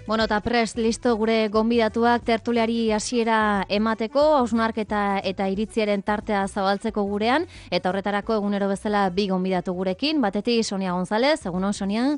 Bueno, eta prest, listo gure gonbidatuak tertuliari hasiera emateko, hausnarketa eta iritziaren tartea zabaltzeko gurean, eta horretarako egunero bezala bi gonbidatu gurekin, batetik Sonia González, egunon Sonia?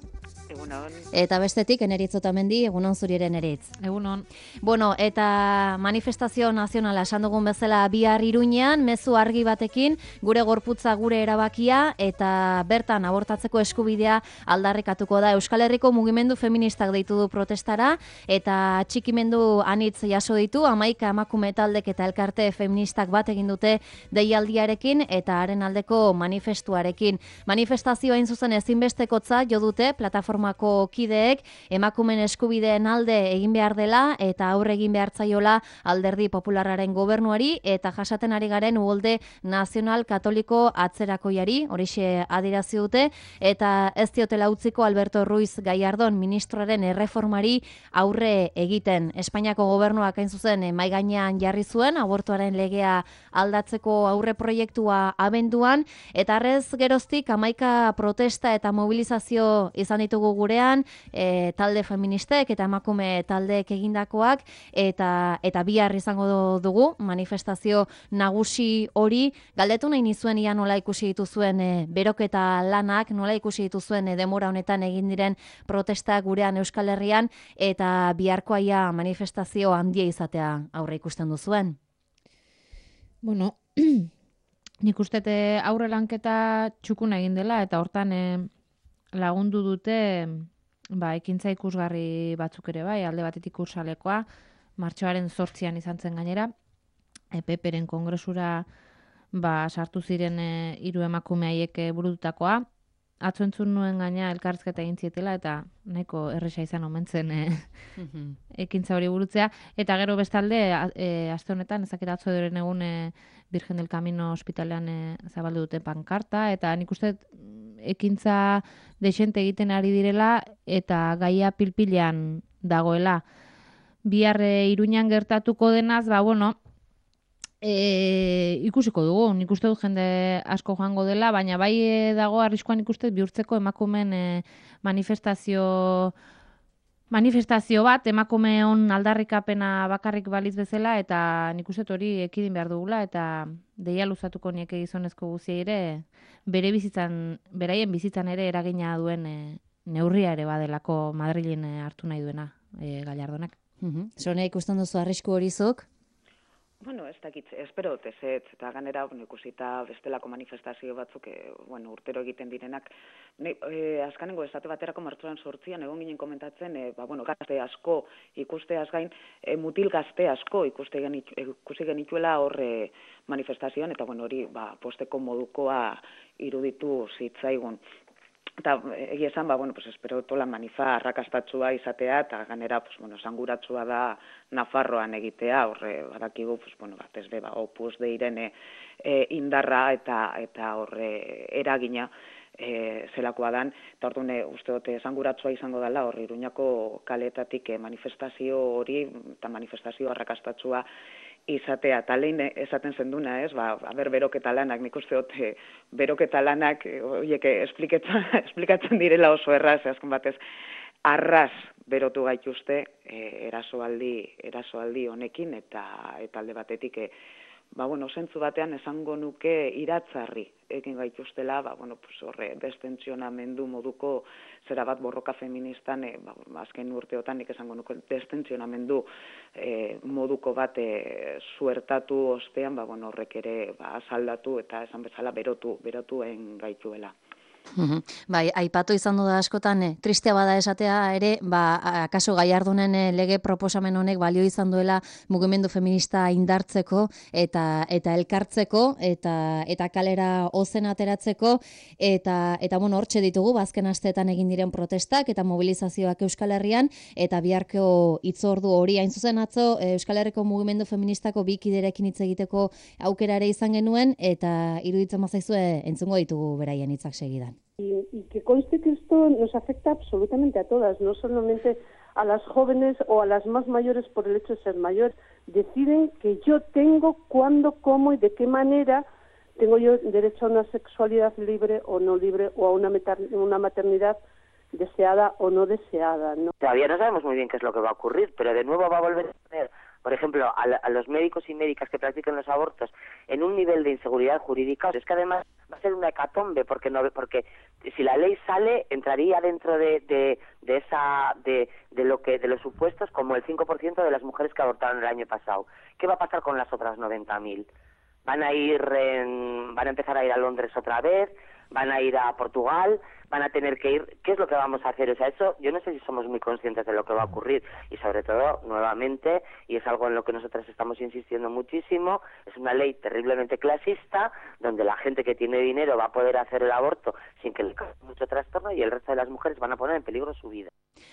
Egunon. Eta bestetik Eneritz Otamendi, egunon zuri ere Eneritz. Egunon. Bueno, eta manifestazio nazionala esan dugun bezala bihar Iruñean, mezu argi batekin, gure gorputza gure erabakia eta bertan abortatzeko eskubidea aldarrikatuko da. Euskal Herriko mugimendu feministak deitu du protestara eta txikimendu anitz jaso ditu, 11 emakume taldek eta elkarte feministak bat egin dute deialdiarekin eta haren aldeko manifestuarekin. Manifestazioa hain zuzen ezinbestekotza jo dute plataformako kideek emakumeen eskubideen alde egin behar dela eta aurre egin behar zaiola Alderdi Popularraren gobernuari eta jasaten ari garen uholde nazional katoliko atzerakoiari, horixe adierazi dute, eta ez diotela utziko Alberto Ruiz Gallardón ministroaren erreformari aurre egiten. Espainiako gobernuak hain zuzen mahai gainean jarri zuen abortuaren legea aldatzeko aurre proiektua abenduan, eta arrez geroztik 11 protesta eta mobilizazio izan ditugu gurean, talde feministek eta emakume taldeek egindakoak, eta bihar izango dugu manifestazio nagusi hori. Galdetu nahi nizuen ia nola ikusi dituzuen beroketa lanak, nola ikusi dituzuen denbora honetan egin diren protestak gurean Euskal Herrian, eta biharkoa ia manifestazio handia izatea aurre ikusten duzuen. Bueno, nik uste aurre lanketa txukuna egin dela, eta hortan lagundu dute ekintza ikusgarri batzuk ere bai, alde batetik ursalekoa, martxoaren 8an izan zen gainera, PP-ren kongresura sartu ziren 3 emakume haiek burututakoa. Atzo entzun nuen gaina elkarrizketa egin zietela, eta nahiko erresa izan omen zen ekintza hori burutzea. Eta gero bestalde, aste honetan, ezaketa atzo edoren egun Virgen del Camino ospitalean zabaldu dute pankarta, eta nik uste ekintza desente egiten ari direla, eta gaia pilpilean dagoela. Bihar Iruñan gertatuko denaz, ikusiko dugu, nik uste dut jende asko joango dela, baina bai dago arriskuan ikuste bihurtzeko emakumeen manifestazio bat, emakumeon aldarrikapena bakarrik baliz bezala, eta nik uste hori ekidin behar dugula, eta deia luzatuko nieke gizonezko guziei ere, beraien bizitzan ere eragina duen neurria ere badelako Madrilen hartu nahi duena Gallardonak. Sonia, ikusten duzu arrisku hori zuk? Bueno, ez dakit, espero dut ez, eta ganera ikusita bestelako manifestazio batzuk, urtero egiten direnak. Azkanengo esate baterako martxoan 8an egon ginen komentatzen, gazte asko ikusteaz gain, mutil gazte asko ikusi genituela horre manifestazioan, eta hori posteko modukoa iruditu zitzaigun. Eta egia esan, espero tola manifa arrakastatsua izatea, eta ganera, esanguratsua da Nafarroan egitea, horre, badakigu, Opus Deiren indarra eta horre eragina zelakoa dan, eta orduan uste dute esanguratsua izango dela, horre Iruñako kaleetatik manifestazio hori, eta manifestazio arrakastatsua izatea, eta lehen esaten zenduna, beroketa lanak, nik uste dut beroketa lanak, esplikatzen direla oso erraz, azken batez, arraz berotu gaituzte erasoaldi honekin, eta alde batetik, zentzu batean esango nuke iratzarri egin gaituztela, horre, destentsionamendu moduko zera bat borroka feministan, azken urteotan nik esango nuke destentsionamendu moduko bat suertatu ostean, horrek ere asaldatu eta esan bezala berotuen gaituela. Bai, aipatu izan du da askotan, tristea bada esatea ere, akaso Gallardonen lege proposamen honek balio izan duela mugimendu feminista indartzeko eta elkartzeko eta kalera ozen ateratzeko eta hortxe ditugu azken asteetan egin diren protestak eta mobilizazioak Euskal Herrian, eta biharko hitzordu hori hain zuzen atzo Euskal Herriko mugimendu feministako bi kiderekin hitz egiteko aukera ere izan genuen, eta iruditzen bazaizue entzungo ditugu beraien hitzak segidan. Y que conste que esto nos afecta absolutamente a todas, no solamente a las jóvenes o a las más mayores por el hecho de ser mayor. Deciden que yo tengo, cuándo, cómo y de qué manera tengo yo derecho a una sexualidad libre o no libre, o a una maternidad deseada o no deseada, ¿no? Todavía no sabemos muy bien qué es lo que va a ocurrir, pero de nuevo va a volver a tener, por ejemplo, a los médicos y médicas que practican los abortos en un nivel de inseguridad jurídica. Es que además va a ser una hecatombe, porque si la ley sale, entraría dentro de los supuestos como el 5% de las mujeres que abortaron el año pasado. ¿Qué va a pasar con las otras 90.000? Van a empezar a ir a Londres otra vez, van a ir a Portugal, van a tener que ir. ¿Qué es lo que vamos a hacer? O sea, eso yo no sé si somos muy conscientes de lo que va a ocurrir, y sobre todo, nuevamente, y es algo en lo que nosotras estamos insistiendo muchísimo, es una ley terriblemente clasista, donde la gente que tiene dinero va a poder hacer el aborto sin que le cause mucho trastorno, y el resto de las mujeres van a poner en peligro su vida.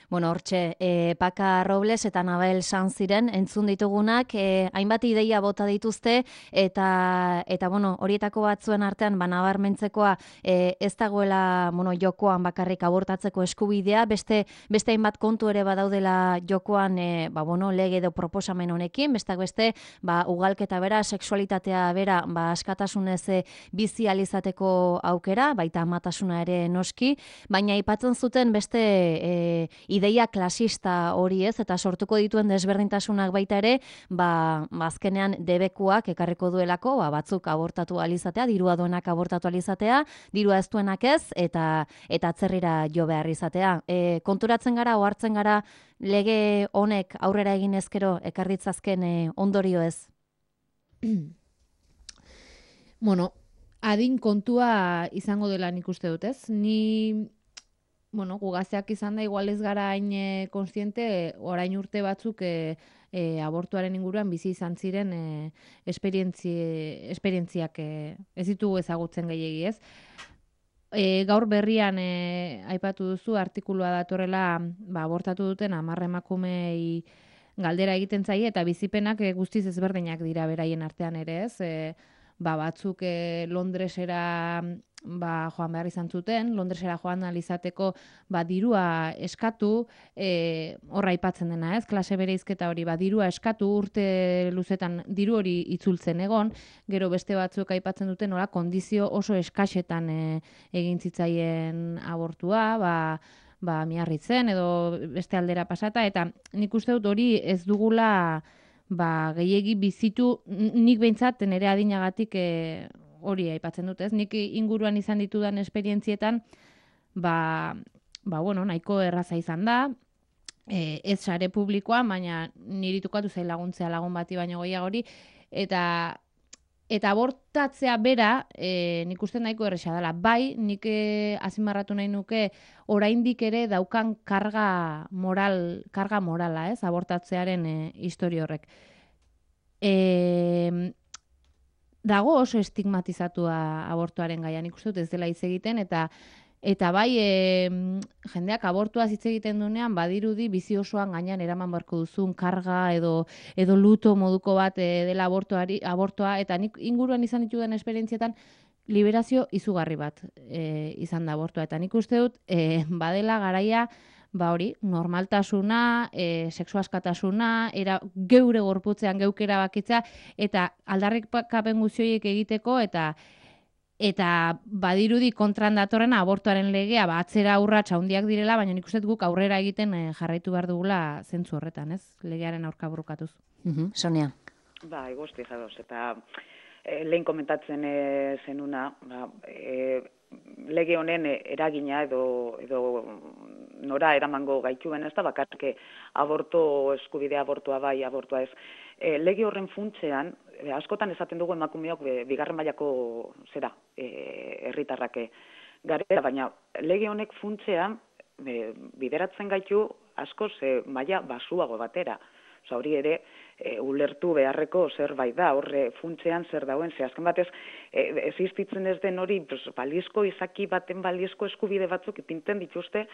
Bueno, hortxe, Paka Robles eta Nabel Sanziren entzun ditugunak, hainbat ideia bota dituzte, eta bueno, horietako batzuen artean, nabarmentzekoa, ez dagoela, bueno, jokoan bakarrik abortatzeko eskubidea, beste hainbat kontu ere badaudela jokoan, bueno, lege edo proposamen honekin, besteak beste, ugalketa bera, sexualitatea bera, askatasunez bizi ahal izateko aukera, baita amatasuna ere noski, baina aipatzen zuten beste ideia klasista hori ez, eta sortuko dituen desberdintasunak baita ere, azkenean debekuak ekarriko duelako, batzuk abortatu alizatea, dirua duenak abortatu alizatea, dirua ez duenak ez, eta atzerrira jo behar izatea. Konturatzen gara, ohartzen gara, lege honek aurrera egin ezkero, ekarritzazken ondorio ez? Bueno, adin kontua izango dela nik uste dut, ez? Bueno, gugazteak izan da, igual ez gara hain konstiente, orain urte batzuk abortuaren inguruan bizi izan ziren esperientziak ez ditugu ezagutzen gehiegi, ez? Gaur berrian aipatu duzu artikulua datorrela abortatu duten 10 emakumei galdera egiten zaie, eta bizipenak guztiz ezberdinak dira beraien artean ere, ez? Batzuk Londresera joan behar izan zuten, Londresera joan alizateko dirua eskatu, horra aipatzen dena, ez? Klase bereizketa hori, dirua eskatu, urte luzetan diru hori itzultzen egon, gero beste batzuk aipatzen duten, kondizio oso eskaxetan egin zitzaien abortua, miarritzen edo beste aldera pasata, eta nik uste dut hori ez dugula gehiegi bizitu, nik behintzat nire adinagatik hori aipatzen dut, ez? Nik inguruan izan ditudan esperientzietan, bueno, nahiko erraza izan da, ez sare publikoan, baina niri tukatu zain laguntzea lagun bati baino gehiago hori, eta abortatzea bera, nik uste nahiko erresa dela. Bai, nik azpimarratu nahi nuke oraindik ere daukan karga morala, ez? Abortatzearen historia horrek. Dago oso estigmatizatua abortuaren gaia, nik uste dut ez dela hitz egiten, eta bai jendeak abortuaz hitz egiten duenean badirudi bizi osoan gainean eraman beharko duzun karga edo luto moduko bat dela abortua, eta nik inguruan izan ditudan esperientzietan liberazio izugarri bat izan da abortua, eta nik uste dut badela garaia hori, normaltasuna, sexu askatasuna, geure gorputzean geukera bakitza, eta aldarrikapen guztioiek egiteko, eta badirudi kontran datorrena abortuaren legea, atzera urrats handiak direla, baina nik uste guk aurrera egiten jarraitu behar dugula zentzu horretan, ez? Legearen aurka borrokatuz. Sonia. Guzti jadoz, eta lehen komentatzen zenuna, lege honen eragina edo nora eramango gaituen, ez da bakarke aborto eskubidea, abortua bai, abortua ez. Lege horren funtsean, askotan esaten dugu emakumeok bigarren mailako herritarrak garela, baina lege honek funtsean bideratzen gaitu askoz maila basuago batera. Hori ere, ulertu beharreko zerbait da, horre funtsean zer dauen, azken batez, existitzen ez den hori, balizko izaki baten balizko eskubide batzuk ipintzen dituzte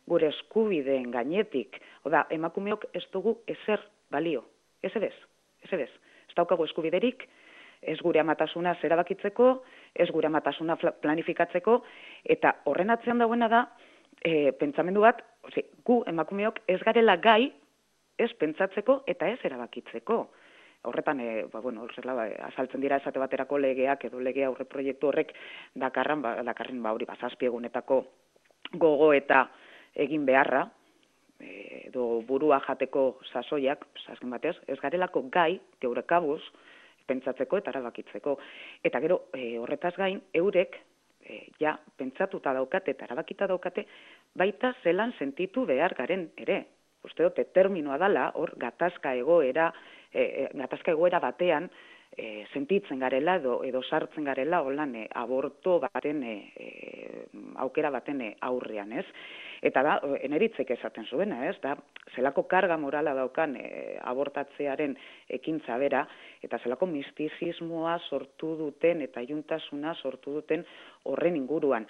gure eskubideen gainetik. Oda, emakumeok ez dugu ezer balio, ez ebez. Ez daukagu eskubiderik, ez gure amatasuna zerabakitzeko, ez gure amatasuna planifikatzeko, eta horren atzean dauena da, pentsamendu bat, gu emakumeok ez garela gai, ez pentsatzeko eta ez erabakitzeko. Horretan, azaltzen dira esate baterako legeak edo lege aurre proiektu horrek dakarren hori 7 egunetako gogo eta egin beharra, edo burua jateko sasoiak, azken batez, ez garelako gai, geure kabuz, pentsatzeko eta erabakitzeko. Eta gero, horretaz gain, eurek, ja, pentsatuta daukate eta erabakita daukate, baita zelan sentitu behar garen ere. Uste dute, terminoa dala, hor, gatazka egoera batean, sentitzen garela edo sartzen garela holan aborto baten aukera baten aurrean, ez? Eta da, eneritzek esaten zuena, ez? Da, zelako karga morala daukan abortatzearen ekintza bera, eta zelako mistizismoa sortu duten eta juntasuna sortu duten horren inguruan.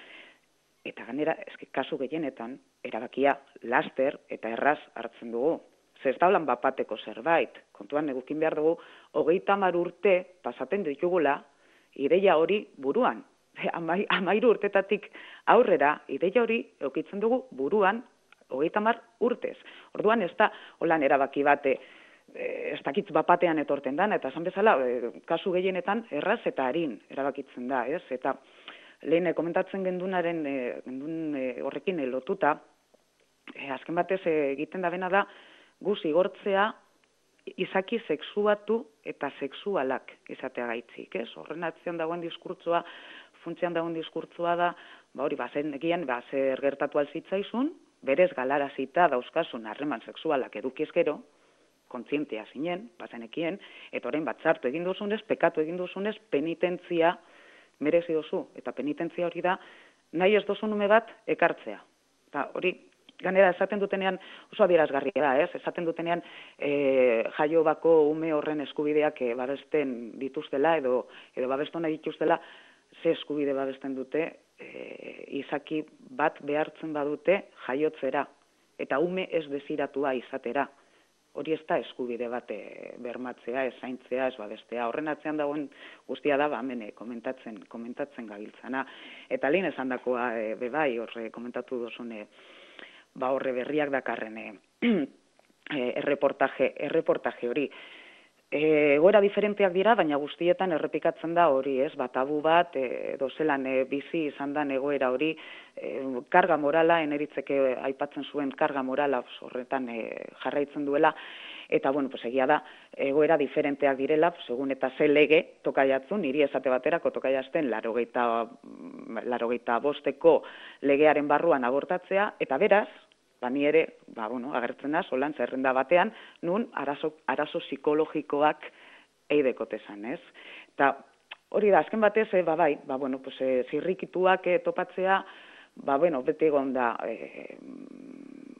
Eta ganera, kasu gehienetan, erabakia laster eta erraz hartzen dugu. Ez da holan bapateko zerbait, kontuan egukin behar dugu, 30 urte pasaten ditugula ideia hori buruan. 13 urtetatik aurrera ideia hori eukitzen dugu buruan 30 urtez. Orduan ez da holan erabaki bate, ez dakitz bapatean etorten da, eta esan bezala, kasu gehienetan erraz eta harin erabakitzen da, ez? Eta lehen komentatzen gendunaren horrekin lotuta, azken batez egiten da bena da, gu zigortzea izaki sexuatu eta sexualak izatea gaitzik, ez? Horren atzean dagoen diskurtzoa, funtzean dagoen diskurtzoa da, hori bazen egian, zer gertatu alzitzaizun, berez galarazita dauzkasun harreman sexualak edukizkero, kontzientea zinen, bazenekien, eta orain batzartu egin duzunez, pekatu egin duzunez, penitentzia merezi duzu, eta penitentzia hori da, nahi ez duzun ume bat ekartzea. Eta hori, ganera esaten dutenean oso adierazgarria da, ez? Esaten dutenean jaio bako ume horren eskubideak babesten dituztela edo babestu nahi dituztela, ze eskubide babesten dute izaki bat behartzen badute jaiotzera eta ume ez desiratua izatera. Hori ez da eskubide bat bermatzea, ez zaintzea, ez babestea. Horren atzean dagoen guztia da, hemen komentatzen gabiltzana. Eta lehen esan dakoa, bebai, horre komentatu duzune, horre berriak dakarren erreportaje hori. Egoera diferenteak dira, baina guztietan errepikatzen da hori, ez? Tabu bat, zelan bizi izan da egoera hori, karga morala, eneritzeke aipatzen zuen karga morala horretan jarraitzen duela, eta, egia da, egoera diferenteak direla, segun eta ze lege tokaiatzun, niri esate baterako tokaiazten 85 legearen barruan abortatzea, eta beraz, ni ere, agertzen da, solan zerrenda batean, nun arazo psikologikoak eidekotezan, ez? Eta hori da, azken batez, zirrikituak topatzea, beti egon da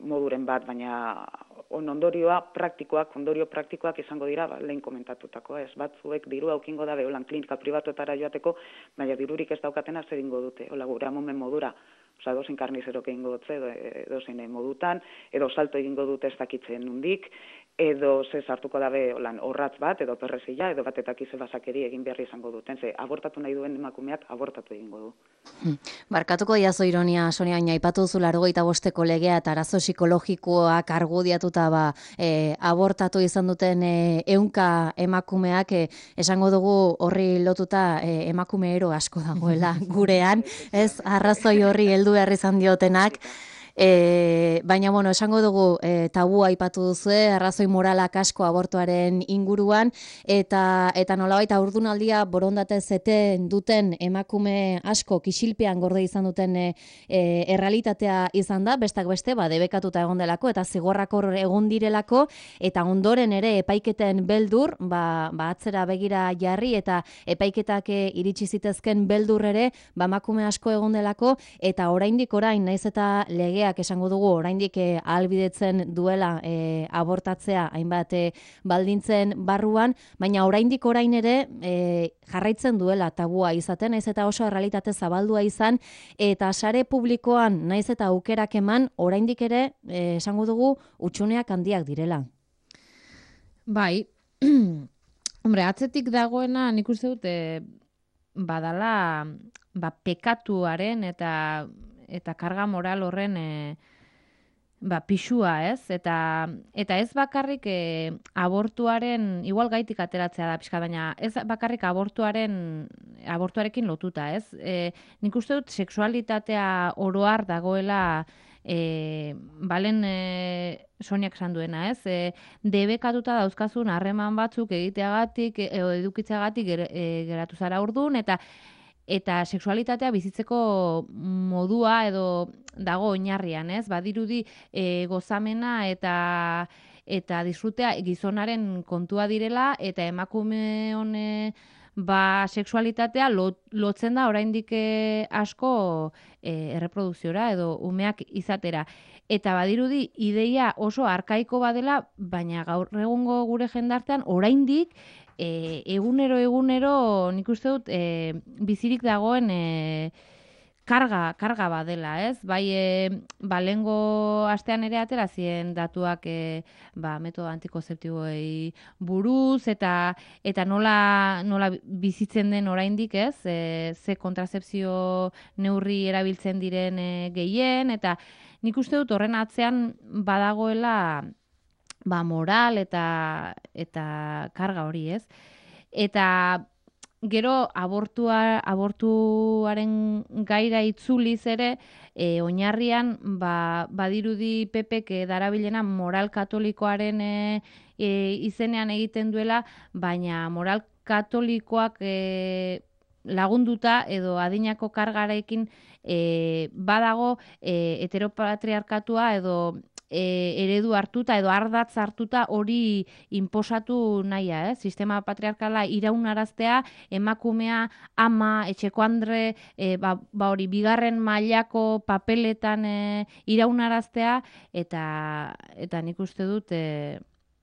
moduren bat, baina ondorio praktikoak izango dira, lehen komentatutakoa, ez? Batzuek dirua aukingo da, holan klinika pribatuetara joateko, baina dirurik ez daukatena zer ingo dute, hola gure amomen modura. Edozein karnizerok egingo dutze, edozein modutan, edo salto egingo dute ez dakitzen nundik, edo ze sartuko dabe horratz bat, edo perrezila, edo batetak ize basakeri egin beharri izango duten. Ze abortatu nahi duen emakumeak abortatu egingo du. Barkatuko diazo ironia, Sonia, baina aipatu duzu 85 legea eta arazo psikologikoak argudiatuta abortatu izan duten 100 emakumeak, esango dugu horri lotuta emakume ero asko dagoela gurean, ez arrazoi horri heldu behar izan diotenak. Baina, esango dugu tabua aipatu duzue, arrazoi moralak asko abortuaren inguruan, eta nolabait haurdunaldia borondate zeten duten emakume asko kisilpean gorde izan duten errealitatea izan da, bestak beste, debekatuta egon delako, eta zigorrak hor egon direlako, eta ondoren ere epaiketen beldur, atzera begira jarri, eta epaiketak iritsi zitezken beldur ere, emakume asko egon delako, eta oraindik naiz eta legeak esango dugu oraindik ahalbidetzen duela abortatzea hainbat baldintzen barruan, baina oraindik orain ere jarraitzen duela tabua izaten, naiz eta oso errealitate zabaldua izan, eta sare publikoan naiz eta aukerak eman, oraindik ere esango dugu hutsuneak handiak direla. Bai, hombre, atzetik dagoena nik uste dut badala pekatuaren eta karga moral horren pisua, ez? Eta ez bakarrik abortuaren, igual gaitik ateratzea da pixka, baina ez bakarrik abortuarekin lotuta, ez? Nik uste dut sexualitatea oro har dagoela balen Soniak esan duena, ez? Debekatuta dauzkazun harreman batzuk egiteagatik, edukitzeagatik geratu zara ordun, eta sexualitatea bizitzeko modua edo dago oinarrian, ez? Badirudi gozamena eta disfrutea gizonaren kontua direla, eta emakume hone sexualitatea lotzen da oraindik asko erreprodukziora edo umeak izatera. Eta badirudi ideia oso arkaiko badela, baina gaur egungo gure jendartean oraindik egunero nik uste dut bizirik dagoen karga badela, ez? Bai, lehengo astean ere atera ziren datuak metodo antikonzeptiboei buruz, eta nola bizitzen den oraindik, ez? Ze kontrazepzio neurri erabiltzen diren gehien, eta nik uste dut horren atzean badagoela moral eta karga hori, ez? Eta gero abortuaren gaira itzuliz ere, oinarrian badirudi Pepek darabilena moral katolikoaren izenean egiten duela, baina moral katolikoak lagunduta edo adinako kargarekin badago heteropatriarkatua edo eredu hartuta edo ardatz hartuta hori inposatu nahia, sistema patriarkala iraunaraztea, emakumea ama, etxeko andre, hori bigarren mailako papeletan iraunaraztea, eta nik uste dut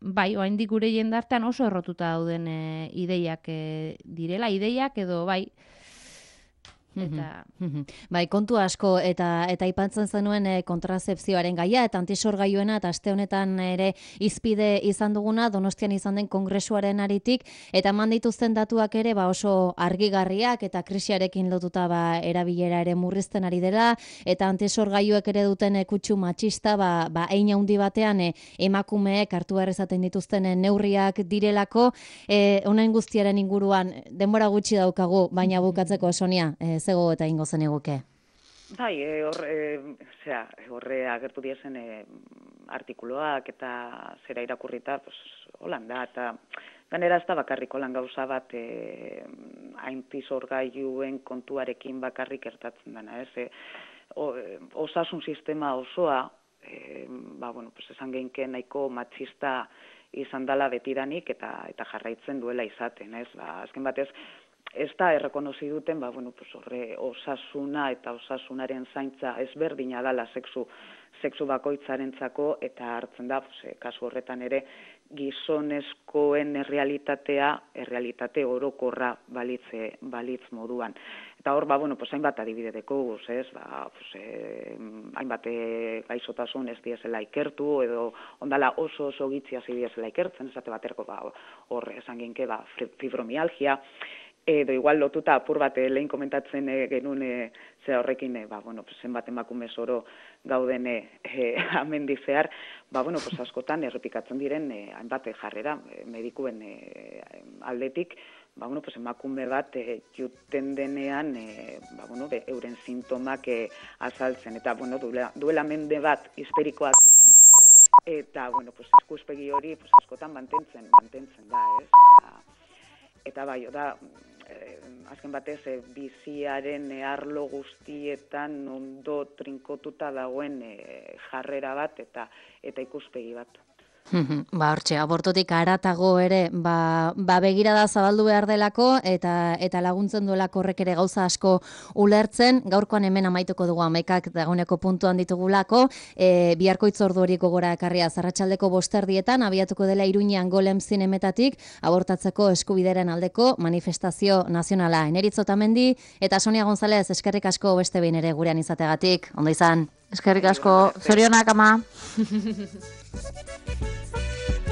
oraindik gure jendartean oso errotuta dauden ideiak direla, ideiak edo Bai, kontu asko eta aipatzen zenuen kontrazepzioaren gaia eta antisorgailuena, eta aste honetan ere hizpide izan duguna Donostian izan den kongresuaren aritik, eta eman dituzten datuak ere oso argigarriak eta krisiarekin lotuta erabilera ere murrizten ari dela, eta antisorgailuek ere duten kutsu matxista hein handi batean emakumeek hartu behar izaten dituzten neurriak direlako. Honen guztiaren inguruan denbora gutxi daukagu, baina bukatzeko, Sonia, zego eta ingo zen eguke. Bai, horre agertu diezen artikuloak eta zera irakurrita, Holanda, eta ganera ez da bakarrik holan gauza bat antisorgailuen kontuarekin bakarrik gertatzen dena, ez? Osasun sistema osoa, esan geinke nahiko matxista izan dela betidanik eta jarraitzen duela izaten, ez? Azken batez, ez da errekonozi duten, horre osasuna eta osasunaren zaintza ezberdina dela sexu bakoitzarentzako, eta hartzen da, kasu horretan ere, gizonezkoen errealitate orokorra balitz moduan. Eta hor, hainbat adibide dekoguz, ez? Hainbat gaixotasun ez diezela ikertu, edo ondala oso gitzi hasi diezela ikertzen, esate baterako hor esan ginke fibromialgia, edo igual lotuta apur bat lehen komentatzen genuen horrekin, zenbat emakume zoro gauden amendizear, askotan errepikatzen diren hainbat jarrera medikuen aldetik, emakume bat juten denean euren sintomak azaltzen, eta duela mende bat histerikoak, eta ikuspegi hori askotan mantentzen da, ez? Eta azken batez, biziaren arlo guztietan ondo trinkotuta dagoen jarrera bat eta ikuspegi bat. Hortxe, abortotik haratago ere, begirada zabaldu behar delako, eta laguntzen duelako horrek ere gauza asko ulertzen. Gaurkoan hemen amaituko dugu amaikak dagoeneko puntuan ditugulako, biharko hitzordu hori gogora ekarria arratsaldeko 5:00 abiatuko dela Iruñean Golem zinemetatik, abortatzeko eskubideren aldeko manifestazio nazionala. Eneritz Otamendi eta Sonia González, eskerrik asko beste behin ere gurean izategatik. Ondo izan. Eskerrik asko, zorionak ama.